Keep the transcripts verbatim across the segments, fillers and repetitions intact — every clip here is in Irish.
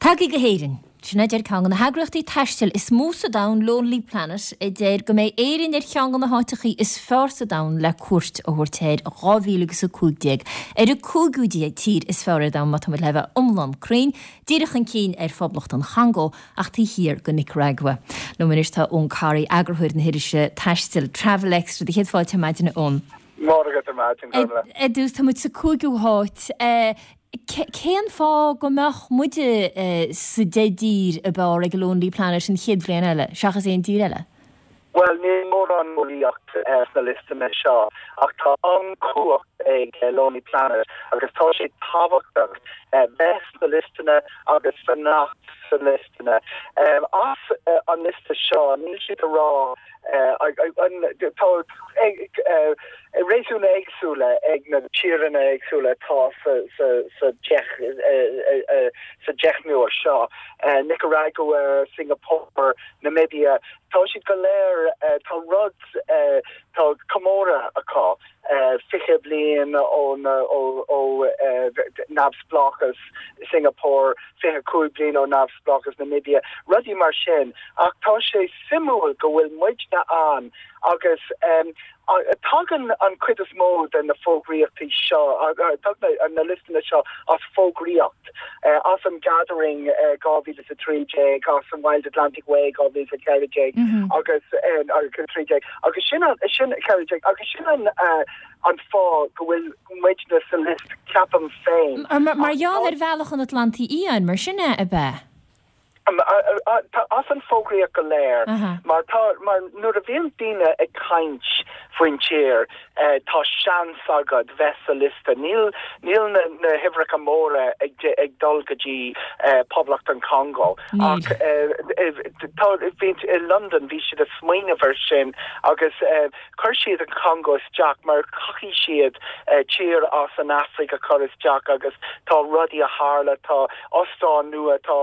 Tagaigí go hÉirinn. Sin a deir ceann de na heagraíochtaí taistil is mó sa domhan Lonely Planet a deir go mbeidh Éirinn ar cheann de na háiteacha is fearr sa domhan le cuairt a thabhairt air dhá mhíle agus a cúig déag ar an cúigiú tír is fearr ar domhan má tá muid le bheith iomlán cruinn, díreach chun cinn ar Phoblacht an Chongó ach taobh thiar de Nicaragua. Liom anois tá Eoin Corry eagarthóir na hirise taistil Travel Extra do chéad fáilte ar maidin Eoin. Mór agat ar maidin Ar dtús tá muid sa cúigiú háit. Cén fáth go mbeadh muide sa deich dtír ab fhearr ag Lonely Planet an chéad bhliain eile, seachas aon tír eile? Well níl mórán eolaíocht sna liostanna seo ach tá an-chumhacht ag Lonely Planet agus tá sé tábhachtach bheith sna liostanna agus fanacht sa liostanna. As an liosta seo níl siad a rá tá réasúna éagsúla ag na tíortha éagsúla atá sa sa deichniúr seo. Nicaragua, Singapore, Namibia, tá siad go léir tá rud tá comóradh acu fiche bliain ó ó neamhspleáchas Singapore, fiche cúig bliain ó neamhspleáchas Namibia, rudaí mar sin ach tá sé suimiúil go bhfuil muidne ann agus um, tagann an chuid is mó de na fógraíochtaí seo na liostanna seo as fógraíocht as an Gathering dhá mhíle a trí déag as an Wild Atlantic Way dhá mhíle a ceathair déag agus trí déag agus sin sin ceathair déag agus sin an an fáth go bhfuil muidne sa liosta ceapaim féin. Mar gheall ar bhealach an Atlantaigh Fhiáin mar sin é ab ea? As an fógraíocht go léir mar tá mar nuair a bhíonn daoine ag caint faoin tír tá seans agat bheith sa liosta. Níl níl na, na huimhreacha móra ag, ag dul go dtí Poblacht an Congo ach tá bhí i London bhí siad ag smaoineamh air sin agus chuir siad an Congo isteach mar caithfidh siad tír as an Afraic a chur isteach agus tá rudaí a tharla tá óstán nua tá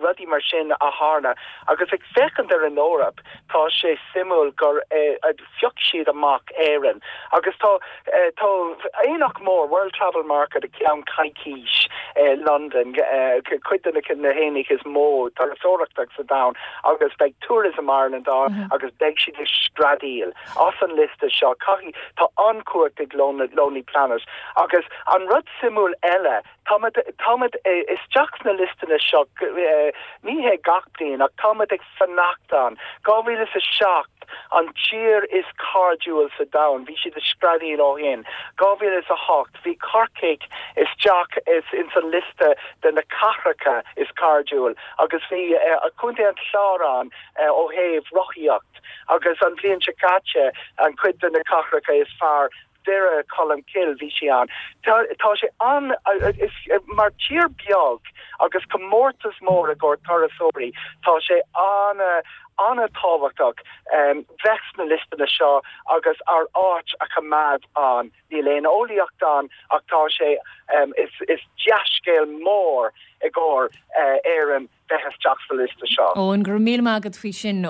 rudaí mar sin a tharla agus ag féachaint ar an Eoraip tá sé suimiúil gur phioc siad amach Éirinn agus tá tá aonach mór World Travel Market a ceann coicís London cuid de na haonaigh is mó turasóireachta sa domhan agus beidh Tourism Ireland ann agus beidh siad ag screadaíl as an liosta seo caithfidh tá an-chumhacht ag Lonely Planet agus an rud suimiúil eile táimid táimid isteach sna liostanna seo ní hé gach bliain ach táimid ag fanacht ann. Dhá mhíle a seacht an tír is cairdiúil sa domhan, bhí siad ag screadaíl ó shin. Dhá mhíle a hocht bhí Corcaigh isteach is in san liosta de na cathracha is cairdiúil agus bhí uh, Contae an Chláir ann uh, ó thaobh rothaíocht agus an bhliain seo caite an cuid de na cathracha is fearr Doire Colmcille bhí sé ann. Tá tá sé an is mar tír beag agus comórtas mór i gcomhair turasóirí tá sé an an-tábhachtach um, bheith sna liostanna seo agus ár áit a choimeád ann. Níl aon eolaíocht ann ach tá sé um, is, is dea-scéal mór i gcomhair uh, Éireann bheith isteach sa liosta seo. Ó an gur mí agad faoi sin